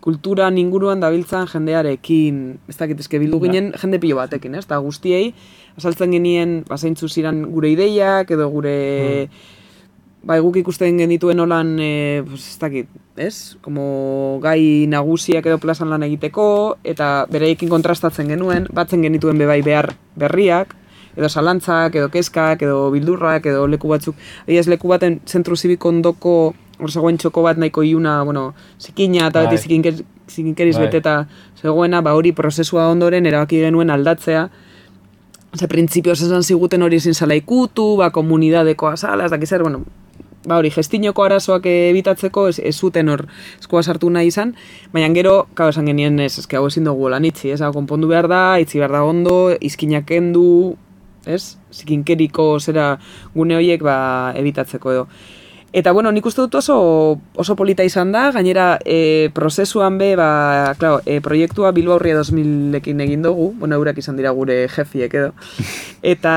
kulturan inguruan dabiltzan jendearekin, ez dakit, ezke bildu ginen jende pilo batekin, ez? Eta guztiei, azaltzen genien, bazeintzu ziren gure ideiak, edo gure... Mm. Ba, guk ikusten genituen holan, e, pues, ez dakit, ez? Como gai nagusiak edo plazan lan egiteko, eta bereiekin kontrastatzen genuen, batzen genituen bebai behar berriak, edo salantzak, edo kezkak, edo bildurrak, edo leku batzuk. Egiaz leku baten zentru zibiko ondoko, hor zegoen txoko bat nahiko iuna, bueno, zikina eta beti zikinker, zikinkeriz beteta zegoena, ba hori prozesua ondoren erabaki genuen aldatzea. Ze printzipioz esan ziguten hori ezin zala ikutu, ba komunidadekoa zala, ez dakizer, bueno, ba hori, gestinoko arazoak ebitatzeko ez, ez zuten hor eskua sartu nahi izan, baina gero, kau esan genien ez, eske hau ezin dugu lan itzi, ez, hau konpondu behar da, itzi behar da ondo, izkinak kendu, ez, zikinkeriko zera gune horiek ba ebitatzeko edo. Eta bueno, nik uste dut oso, oso polita izan da, gainera e, prozesuan be, ba, claro, e, proiektua Bilbao Urria dos milekin egin dugu, bueno, eurak izan dira gure jefiek edo, eta,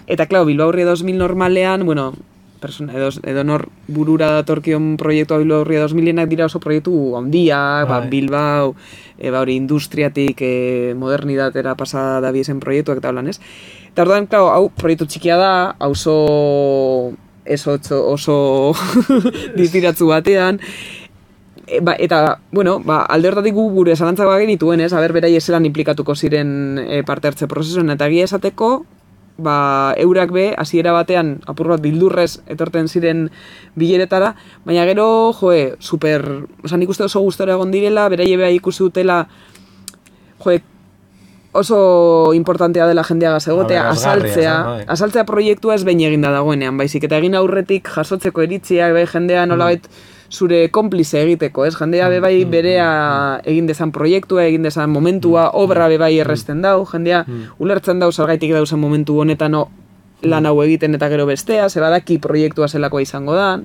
eta claro, Bilbao Urria dos mil normalean, bueno, persona, edo, edo nor burura datorkion proiektua Bilbao Urria dos milenak dira oso proiektu handiak, ba, Bilbao, e, ba, hori industriatik e, modernidatera pasada da biezen proiektuak eta holan, ez? Eta orduan, claro, hau proiektu txikia da, hau oso... ez oso, oso distiratzu batean, e, ba, eta, bueno, ba, alde hortatik gu gure zalantzak genituen, ez, haber berai ezelan implikatuko ziren e, parte hartze prozesuan, eta egia esateko, ba, eurak be, hasiera batean, apur bat bildurrez etorten ziren bileretara, baina gero, joe, super, oza, nik uste oso gustora egon direla, berai beha ikusi dutela, joe, oso importantea dela jendeaga egotea, asaltzea, asaltzea proiektua ez behin eginda dagoenean, baizik, eta egin aurretik jasotzeko iritziak, bai jendea nolabait zure konplize egiteko, ez? Jendea bebai berea egin dezan proiektua, egin dezan momentua, obra bebai erresten dau, jendea ulertzen dau zergaitik dauzen momentu honetan no, lan hau egiten eta gero bestea, ze badaki proiektua zelakoa izango da.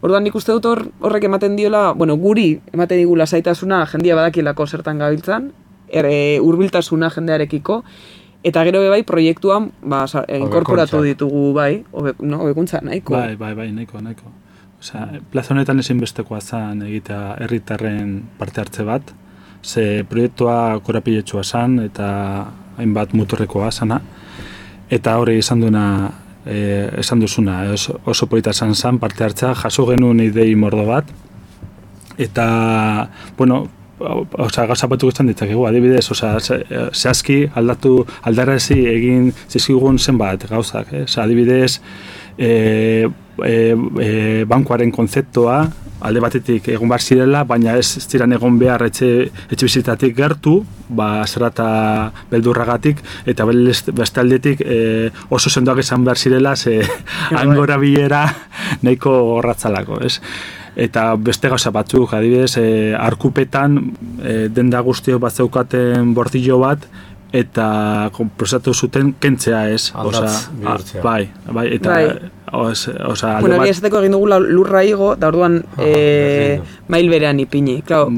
Orduan nik uste dut hor, horrek ematen diola, bueno, guri ematen digu lasaitasuna, jendia badakilako zertan gabiltzan, ere hurbiltasuna jendearekiko, eta gero bebai proiektuan ba, inkorporatu ditugu bai, obe, no, obekuntza nahiko. Bai, bai, bai, nahiko, nahiko. Osea, plaza honetan ezinbestekoa zen egitea herritarren parte hartze bat, ze proiektua korapiletxua zen eta hainbat muturrekoa zana, eta hori esan duena, e, esan duzuna, oso, oso polita zen zen parte hartzea, jaso genuen idei mordo bat, eta, bueno, osea, gauza batu guztan ditzakegu, adibidez, osea, zehazki aldatu, aldarrazi egin zizkigun zenbat gauzak, eh? Osea, adibidez, e, e, e, bankuaren konzeptua, alde batetik egon behar zirela, baina ez ziren egon behar etxe, etxe bizitatik gertu, ba, zerrata beldurragatik, eta beste aldetik e, oso sendoak izan behar zirela, ze angora bilera nahiko gorratzalako, ez? Eta beste gauza batzuk, adibidez, e, arkupetan e, denda guztio bat zeukaten bordillo bat, eta konprosatu zuten kentzea ez. Aldatz bihurtzea. Bai, bai, eta... Bai. Os, osa, bueno, bat... esateko egin dugu lurra igo, da orduan ah, e, mail berean ipini. Claro,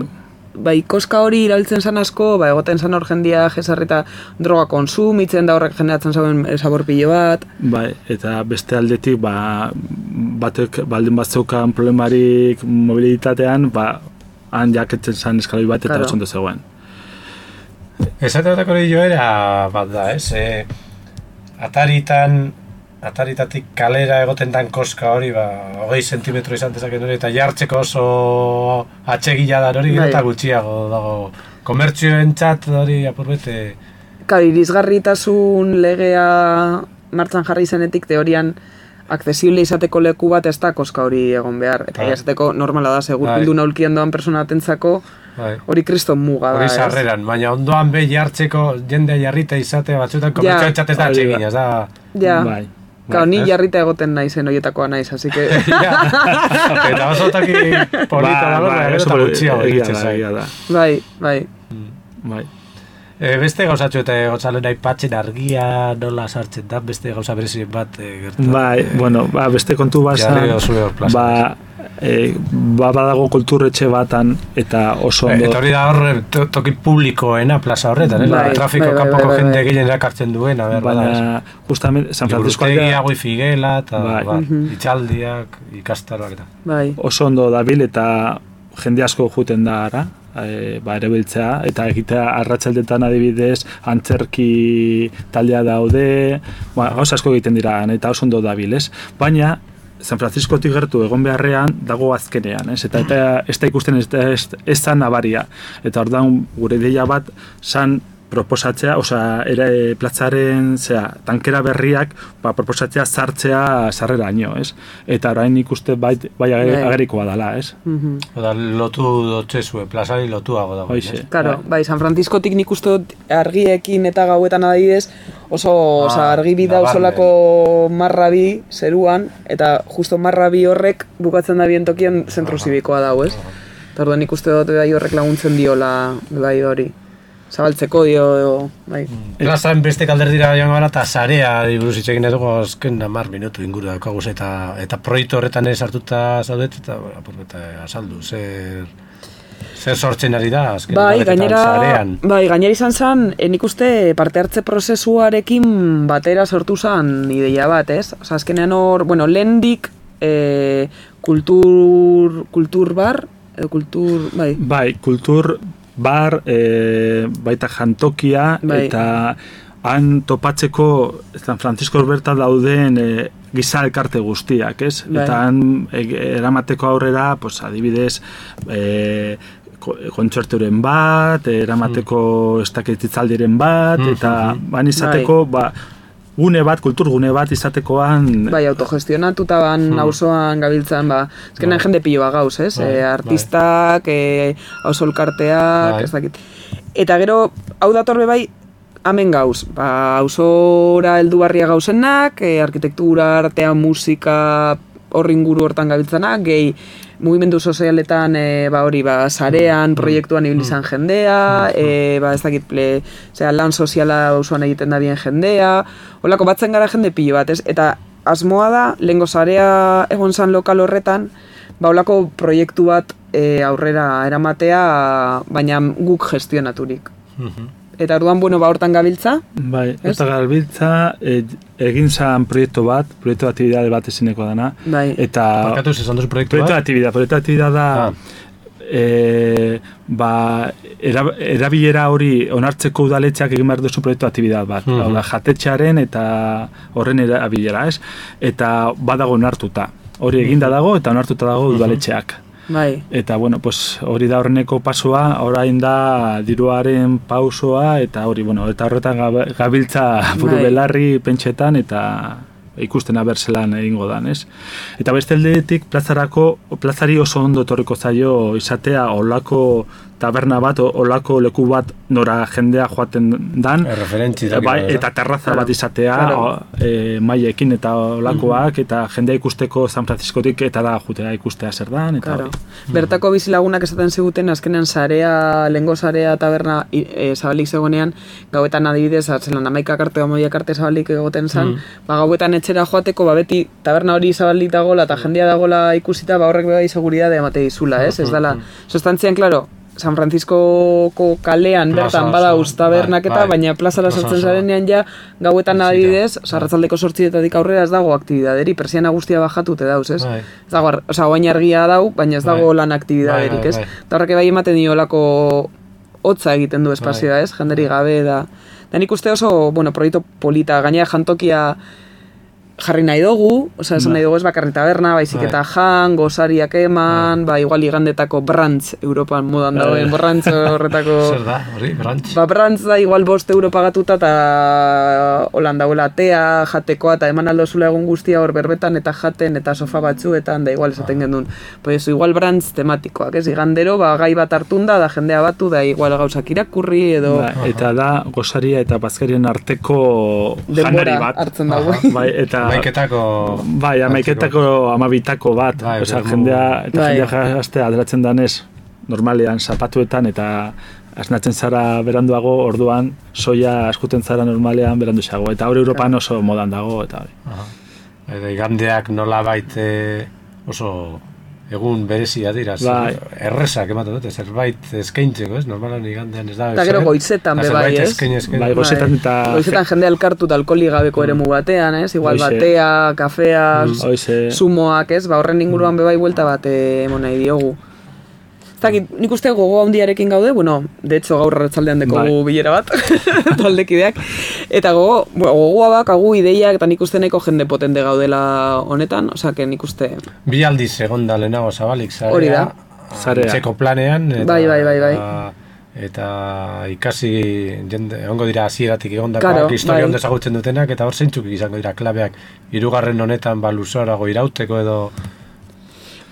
bai, koska hori iraltzen zan asko, ba, egoten zan hor jendia jesarrita droga konsumitzen da horrek generatzen zauen sabor pilo bat. Bai, eta beste aldetik, ba, batek baldin bat zeukan problemarik mobilitatean, ba, han jaketzen zan eskaloi bat eta claro. Ondo zegoen. Esateatako hori joera bat da, ez? E, ataritan, ataritatik kalera egoten dan koska hori, ba, hogei sentimetro izan dezaken hori, eta jartzeko oso atsegila da hori, bai. Eta gutxiago dago. Komertzioen txat hori apurbete... Kari, irisgarritasun legea martxan jarri zenetik teorian accesible izateko leku bat ez da koska hori egon behar. Eta bai. Izateko normala da, segur bildu naulkien doan persona atentzako, bai. Hori kriston muga da. Hori sarreran, baina ondoan be jartzeko jendea jarrita izatea batzuetan komertzioen ja, txat ez da atsegina, ez da... Ja. Bai. Gau, ni jarrita egoten naizen horietakoa naiz, así que... Eta oso taki polita dago, ba, eta gutxiago egitzen zai. Bai, bai. Bai. E, beste gauzatxo eta gotzalen aipatzen argia nola sartzen da, beste gauza berezien bat e, gertu. Bai, bueno, ba, beste kontu bazan, ba, e, ba, badago kulturretxe batan, eta oso ondo... Eta hori da hor, to, toki publikoena plaza horretan, bai, trafiko bai, bai, kanpoko bai, bai, jende gehien erakartzen duena, ber, baina, justamente, San Francisco... Liburutegia, wifi gela, eta bai. Ba, itxaldiak, ikastaroak eta... Bai. Oso ondo dabil, eta jende asko juten da ara, e, ba, ere biltzea, eta egitea arratsaldetan adibidez, antzerki taldea daude, ba, gauza asko egiten dira, eta oso ondo dabil, ez? Baina, San Franciscotik gertu egon beharrean dago azkenean, ez? Eta, eta ez da ikusten ez, ez, ez da nabaria. Eta orduan gure ideia bat zan proposatzea, osea, ere platzaren, zera, tankera berriak, ba, proposatzea sartzea sarreraino, ez? Eta orain ikuste bai, bai agerikoa dela, ez? Mm-hmm. Oda, lotu dotzezue, plazari lotuago dago. Hoize. Claro, bai, San Franciscotik nik uste argiekin eta gauetan adibidez, oso, ah, oza, argi bida osolako marrabi zeruan, eta justo marrabi horrek bukatzen da bien tokian zentro zibikoa dago, ez? Eta orduan nik uste dut bai horrek laguntzen diola bai hori. Zabaltzeko dio, bai. Plazan beste kalderdira joan gara, eta zarea buruz itxekin edo azken hamar minutu inguru daukaguz, eta, eta proiektu horretan ez hartuta zaudet, eta, eta azaldu, zer, zer sortzen ari da, azken bai, gainera, zarean. Bai, gainera izan zen, nik uste parte hartze prozesuarekin batera sortu zen ideia bat, ez? Osa, azkenean hor, bueno, lehendik e, kultur, kultur bar, edo kultur, bai. Bai, kultur bar, e, baita jantokia, bai. Eta han topatzeko San Francisco bertan dauden e, giza elkarte guztiak, ez? Bai. Eta han e, eramateko aurrera, pues, adibidez, e, kontzerturen bat, eramateko mm. estaketitzaldiren bat, mm-hmm. eta ban izateko, bai. ba, gune bat, kulturgune bat izatekoan... Bai, autogestionatuta ban, hmm. auzoan gabiltzan, ba, ezkenan bai. Jende piloa gauz, ez? Bai, e, artistak, bai. e, ausolkarteak, bai. Ez dakit. Eta gero, hau datorbe bai, hemen gauz, ba, auzora heldu barria gauzenak, e, arkitektura, artea, musika, horri inguru hortan gabiltzanak, gehi, mugimendu sozialetan e, ba hori ba sarean proiektuan ibili izan jendea, e, ba ez dakit ple, osea lan soziala auzoan egiten da bien jendea, holako batzen gara jende pilo bat, ez? Eta asmoa da lengo sarea egon san lokal horretan, ba holako proiektu bat e, aurrera eramatea, baina guk gestionaturik. Eta orduan, bueno, ba hortan gabiltza? Bai, hortan gabiltza, e, egin zan proiektu bat, proiektu aktibidade bat ezineko dana. Bai. Eta... Parkatu zezan duz proiektu bat? Proiektu aktibidade, proiektu aktibidade da... Ah. E, ba, era, erabilera hori onartzeko udaletxeak egin behar duzu proiektu aktibidade bat. Mm-hmm. Hau jatetxearen eta horren erabilera, ez? Eta badago onartuta. Hori eginda dago eta onartuta dago udaletxeak. Bai. Eta, bueno, pues, hori da horreneko pasoa, orain da diruaren pausoa, eta hori, bueno, eta horretan gabiltza buru bai. Belarri pentsetan, eta ikusten abertzelan egingo dan, ez? Eta beste aldetik, plazarako, plazari oso ondo etorriko zaio izatea olako taberna bat, olako leku bat nora jendea joaten dan, bai, eta terraza claro. Bat izatea, claro. e, maiekin eta olakoak, mm-hmm. eta jendea ikusteko San Franciscotik eta da jutea ikustea zer dan, eta claro. Bertako bizilagunak esaten ziguten, azkenean sarea, lengo sarea taberna e, zabalik zegoenean, gauetan adibidez, atzelan amaikak arte, amoiak arte zabalik egoten zan, mm. ba, gauetan etxera joateko, ba, beti taberna hori zabalik dagola, eta jendea dagola ikusita, ba, horrek bai seguridade emate dizula, ez? Ez dala, sostantzian, klaro, San Franciscoko kalean bertan bada tabernak eta, bai, baina plazara sartzen zarenean ja, gauetan adibidez, arratsaldeko zortzietatik aurrera ez dago aktibidaderi, persiana guztia bajatute dauz, ez? Bai. Ez dago, osea, oain argia dau, baina ez dago bai. Lan aktibidaderik, ez? Bai, bai, bai. Eta horrek bai ematen diolako hotza egiten du espazioa, ez? Jenderi gabe da. Da nik uste oso, bueno, proiektu polita, gainera jantokia jarri nahi dugu, osea, esan nahi dugu ez bakarri taberna, baizik eta jan, gozariak eman, ba, igual igandetako brantz, Europan modan dagoen brantz horretako... Zer da, hori, brantz? Ba, brantz da, igual bost euro pagatuta, eta holan dagoela tea, jatekoa, eta eman aldo zula egun guztia hor berbetan, eta jaten, eta sofa batzuetan, da igual esaten gendun. Pues igual brantz tematikoak, ez, igandero, ba, gai bat hartunda, da jendea batu, da igual gauzak irakurri, edo... Ba, eta da, gozaria eta bazkarien arteko janari bat. Hartzen dago. Bai, eta... Amaiketako... Bai, amaiketako amabitako bat. Bai, oza, jendea, eta bai. Jendea jaztea aderatzen danez, normalean zapatuetan eta asnatzen zara beranduago, orduan soia askuten zara normalean beranduxago, eta hor Europan oso modan dago, eta hori. Eta igandeak nola baite oso egun berezia dira, bai. Errezak ematen dute, zerbait eskaintzeko, ez? Normalan igandean ez da. Eta gero goizetan be bai, ez? Bai, goizetan eta... Goizetan jende elkartu eta alkoholi gabeko eremu batean, ez? Igual Oize. batea, kafea, Oize. sumoak, ez? Ba, horren inguruan be bai buelta bat emon nahi diogu. Zakit, nik uste gogo handiarekin gaude, bueno, de hecho gaur arratsaldean dekogu bai. bilera bat, taldekideak, eta gogo, gogoa bak, agu ideiak, eta nik uste nahiko jende potente gaudela honetan, osea, que nik uste... Bi aldiz egon da lehenago zabalik, zarea, Hori da. Zarea. Txeko planean, eta, Bai, bai, bai, bai. eta ikasi, jende, egongo dira hasieratik egondakoak, Claro, historia bai. ondo ezagutzen dutenak, eta hor zeintzuk izango dira klabeak, hirugarren honetan ba luzorago irauteko edo...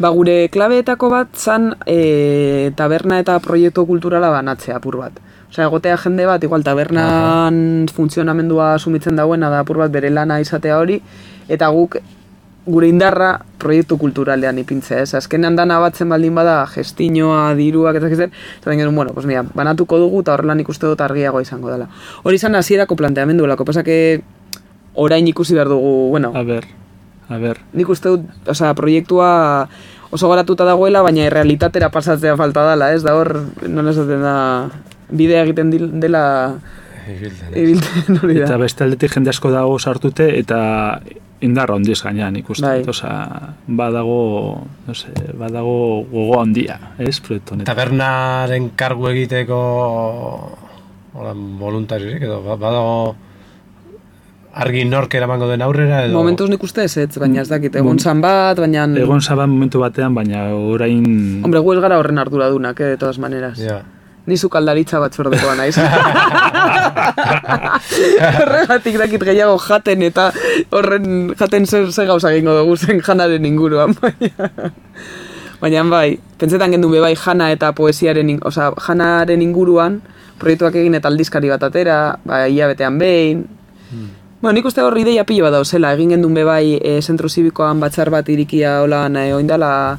Ba, gure klabeetako bat zan e, taberna eta proiektu kulturala banatzea apur bat. Osea, egotea jende bat, igual tabernan funtzionamendua sumitzen dauena da apur bat bere lana izatea hori, eta guk gure indarra proiektu kulturalean ipintzea, ez? Azkenean dana batzen baldin bada gestinoa, diruak, eta zer, eta genuen, bueno, pues mira, banatuko dugu eta horrela nik uste dut argiago izango dela. Hori izan hasierako planteamenduelako, pasa que orain ikusi behar dugu, bueno, A ber, a ber. nik uste dut, osea, proiektua oso garatuta dagoela, baina errealitatera pasatzea falta dela, ez? Da hor, nola esaten da, bidea egiten dil- dela Ibiltzen, ez? ibiltzen hori da. Eta beste aldetik jende asko dago sartute, eta indarra handiz gainean ikusten. Bai. Osea, badago, no sé, badago gogo handia, ez, proiektu honetan. Tabernaren kargu egiteko hola, voluntariorik edo ba- badago argi nork eramango den aurrera edo... Momentuz nik uste ez ez, baina ez dakit, egon zan bat, baina... Egon zaban momentu batean, baina orain... Hombre, gu ez gara horren arduradunak, eh, de todas maneras. Ja. Ni zukaldaritza batzordekoa naiz. Horregatik dakit gehiago jaten eta horren jaten zer, zer gauza egingo dugu zen janaren inguruan. Baina, baina bai, pentsetan gendu be bai jana eta poesiaren, in- osea, janaren inguruan proiektuak egin eta aldizkari bat atera, ba, hilabetean behin. Bueno, nik uste hor ideia pilo bat dauzela, egin gendun be bai e, zentro zibikoan batzar bat irikia holan e, oindala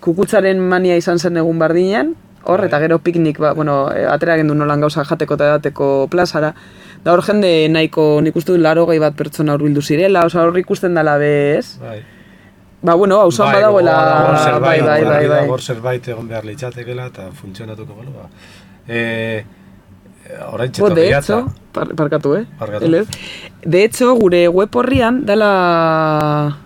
kukutzaren mania izan zen egun bardinean, hor, eta gero piknik, ba, bueno, e, atera gendun nolan gauza jateko eta edateko plazara, da hor jende nahiko nik uste dut laro bat pertsona hurbildu zirela, oza hor ikusten dala bez, Bai. ba, bueno, hauzoan Bai, badagoela, gogoa dago, bai, zerbait, bai, bai, argi bai. dago, zerbait egon behar litzatekela eta funtzionatuko balo. Ba. Eh, orain Bo, de txetorria hecho, par, parkatu, eh? Parkatu. Elez. De hecho, gure web horrian, dela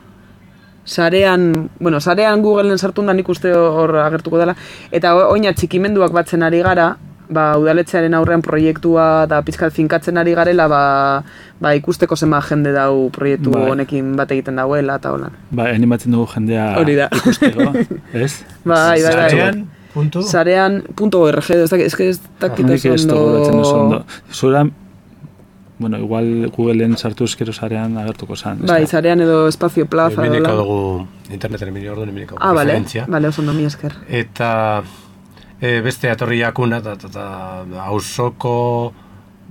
sarean, bueno, sarean Googleen sartun da nik uste hor agertuko dela, eta oina txikimenduak batzen ari gara, ba, udaletxearen aurrean proiektua eta pizkat finkatzen ari garela, ba, ba ikusteko zema jende dau proiektu Bai. honekin bat egiten dauela, eta holan. Ba, animatzen dugu jendea Hori da. ikusteko, ez? Bai, bai, bai. Sarean, puntu. Sarean punto org, ez dakit, ez que ez dakit Nik ez ondo... dugu batzen oso ondo. Zura, bueno, igual Googleen sartu eskero sarean agertuko zan. ez Bai, da? sarean edo espazio plaza. edo Emineko holan. dugu interneten emini orduan emineko Ah, bale, referentzia. bale, oso ondo, mi esker. Eta e, beste atorri jakuna, eta, eta, eta hausoko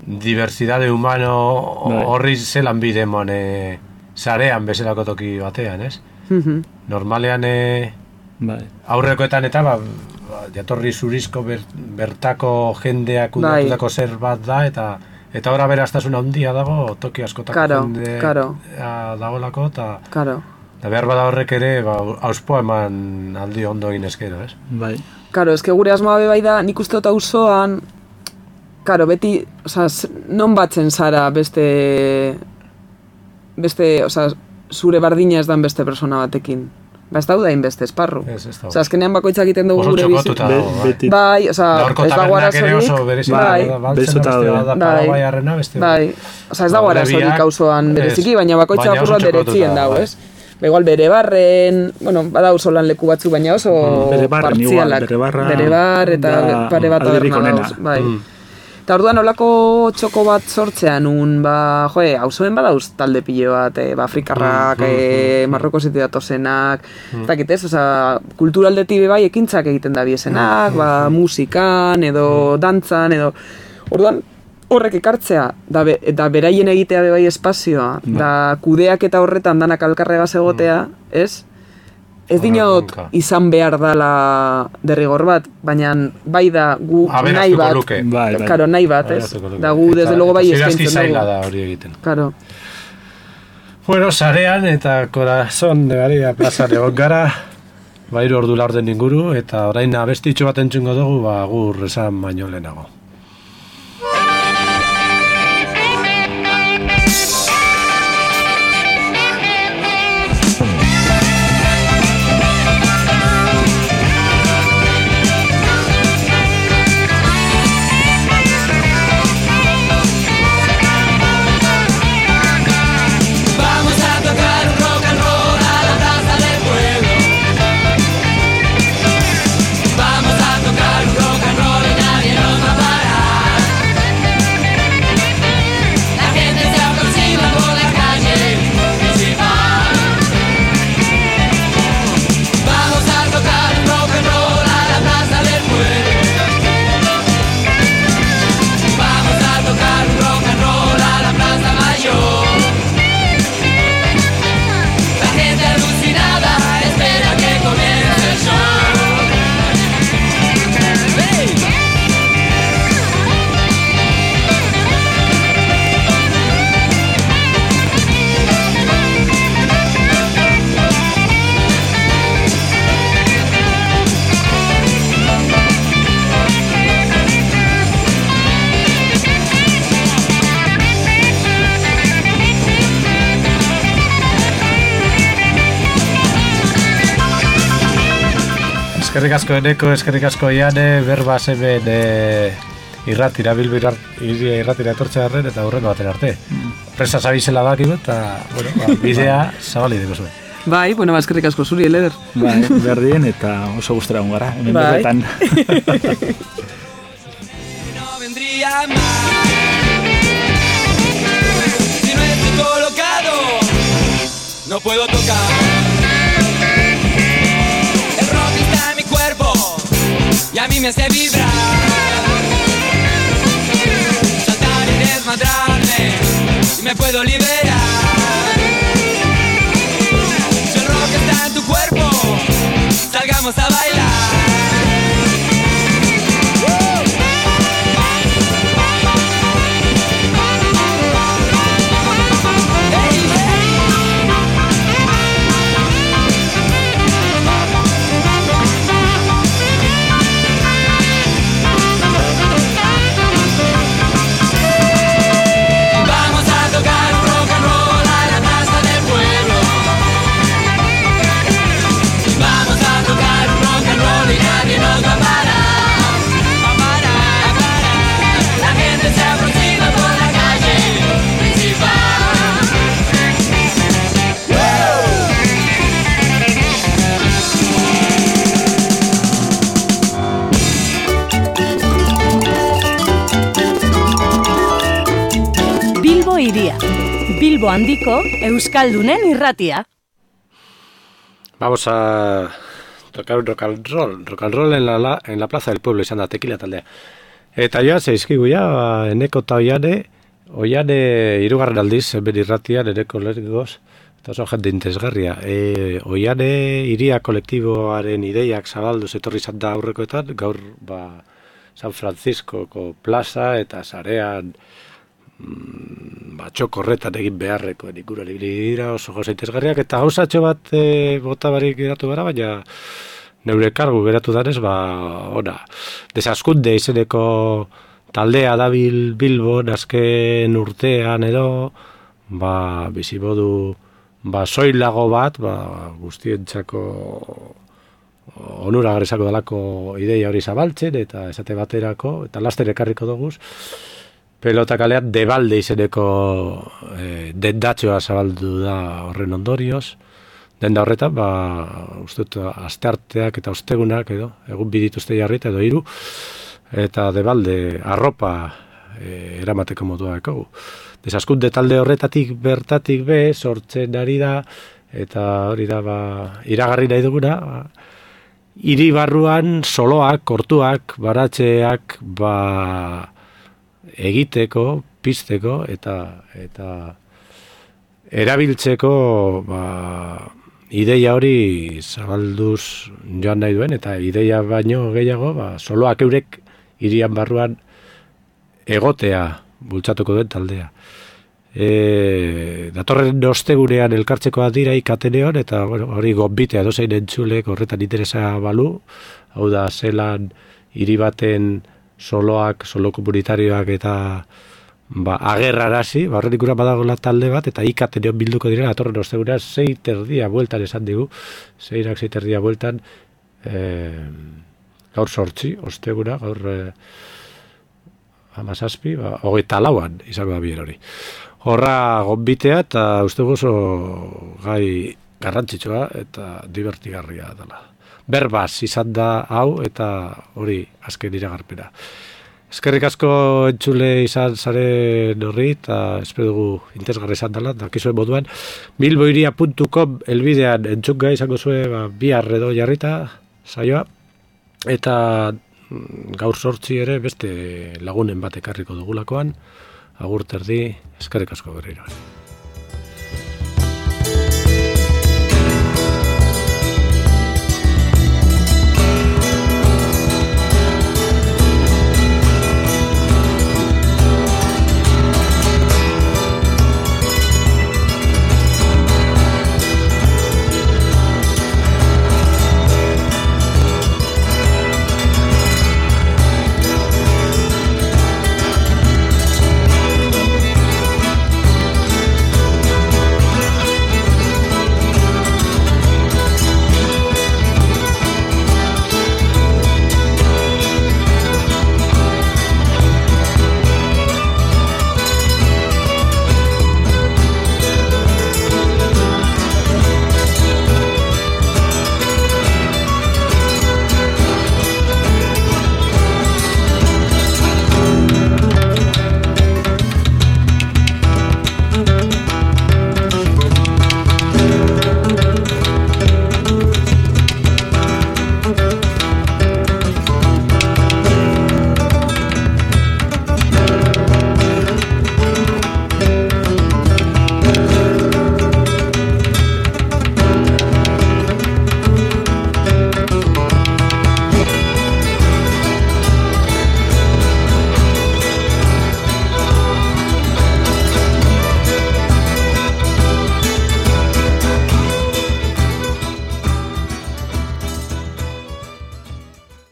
diversidade humano Bai. horri zelan bide mon e, sarean bezalako toki batean, ez? Mhm. Normalean e, Bai. aurrekoetan eta ba, ba, jatorri zurizko ber, bertako jendeak kudeatutako zer bat da, eta eta ora beraztasun handia dago, toki askotako Karo, jende karo. a, dagoelako, eta Karo. eta behar bada horrek ere, ba, auspoa eman aldi ondo egin eskero, ez? Bai. Karo, eske gure asmoa be bai da, nik uste dut auzoan, karo, beti, osea, z- non batzen zara beste, beste, osea, zure bardina ez dan beste persona batekin. Ba, ez dauda beste esparru. Ez, ez dago. Osea, azkenean bakoitzak egiten dugu Oso gure bizi. txokotuta Be- dago, bai. beti- Bai, osea, Da horko ez dago tabernak ere arazorik. oso berezi bai, da, baltzena bezuta beste daude. da, Bai. Paraguaiarrena beste. Bai, osea, ez dago Ba, arazorik biak, auzoan ez. bereziki, baina bakoitza Baina oso apur bat txokotuta beretzien dago, dago, bai. ez? Ba, igual bere barren, bueno, bada auzolan leku batzu, baina oso Bere barren igual, partzialak. bere barra Bere bar eta da pare bat alderik taberna onena. dauz, bai. Mm. Eta orduan olako txoko bat sortzean un, ba, joe, auzoen badauz talde pilo bat, eh, ba, afrikarrak, Mm, mm, eh, Marrokosetik datozenak, ez dakit ez, osea, kulturaldetik be bai ekintzak egiten da biesenak, ba, musikan, edo dantzan, edo, orduan, horrek ekartzea, da, be, da beraien egitea be bai espazioa, da kudeak eta horretan danak alkarregaz egotea, ez? ez dinot izan behar dala derrigor bat, baina bai da gu nahi bat, bai, bai. Karo, nahi bat, ez? Da gu desde logo bai eskaintzen dugu. Zaila da hori egiten. Karo. Bueno, sarean eta Corazón de María plazan egon gara, ba hiru ordu laurden inguru, eta orain abestitxo bat entzungo dugu, ba gur esan baino lehenago. Eskerrik asko Eneko, eskerrik asko Iane, berbaz hemen e, irratira, bilbo irratira etortzea arren, eta hurrengo baten arte. Presa zabizela bakigu, eta bueno, ba, bidea zabali deko zuen. Bai, bueno, eskerrik asko zuri, Leder. Bai, berdien, eta oso gustera hon gara, hemen bai. Berretan. No vendría mal si no estoy colocado, no puedo tocar. Y a mí me hace vibrar, saltar y desmadrarme, y me puedo liberar. Si el rock está en tu cuerpo, salgamos a bailar. Iria. Bilbo handiko euskaldunen irratia. Vamos a tocar un rock and roll, rock and roll en la, en la plaza del pueblo, izan da, tequila taldea. Eta joan zeizkigu ja, Eneko eta Oiane, Oiane hirugarren aldiz, hemen irratian, Eneko lehengoz, eta oso jende interesgarria. E, Oiane Iria kolektiboaren ideiak zabalduz etorri izan da aurrekoetan, gaur ba, San Franciscoko plaza eta sarean ba, txoko horretan egin beharrekoen ikuran dira oso gauza interesgarriak, eta gauzatxo bat e, bota barik geratu gara, baina neure kargu geratu danez, ba, ona, desaskunde izeneko taldea dabil Bilbon azken urtean edo, ba, bizimodu, ba, soilago bat, ba, guztientzako onuragarrizako dalako ideia hori zabaltzen, eta esate baterako, eta laster ekarriko doguz, pelota kalean debalde izeneko e, dendatxoa zabaldu da horren ondorioz. Denda horretan, ba, uste dut, astearteak eta ostegunak edo, egun bidituzte jarrita edo hiru, eta debalde arropa e, eramateko modua ekogu. Desaskunde talde horretatik bertatik be, sortzen ari da, eta hori da, ba, iragarri nahi duguna, ba, hiri barruan soloak, kortuak, baratzeak, ba, egiteko, pizteko eta eta erabiltzeko ba, ideia hori zabalduz joan nahi duen, eta ideia baino gehiago, ba, soloak eurek hirian barruan egotea bultzatuko duen taldea. E, datorren ostegunean elkartzekoa dira ikateneon, eta bueno, hori gonbitea dozein entzulek horretan interesa balu, hau da zelan hiri baten soloak, solo komunitarioak eta ba, agerrarazi, ba, horren ikuran badagoela talde bat, eta ikateneon bilduko direla, datorren ostegunean zei terdia bueltan esan digu, zeirak zei terdia bueltan, e, gaur sortzi, osteguna, gaur e, amazazpi, ba, hogeita lauan izango da bien hori. Horra gonbitea eta uste oso gai garrantzitsua eta divertigarria dela. Berbaz izan da hau eta hori azken iragarpena. Eskerrik asko entzule izan zaren horri eta espero dugu interesgarri izan dela, dakizuen moduan. bilboiria puntu com elbidean entzunga izango zuen ba, bihar edo jarrita saioa eta gaur sortzi ere beste lagunen bat ekarriko dugulakoan. Agur terdi, eskerrik asko berriro.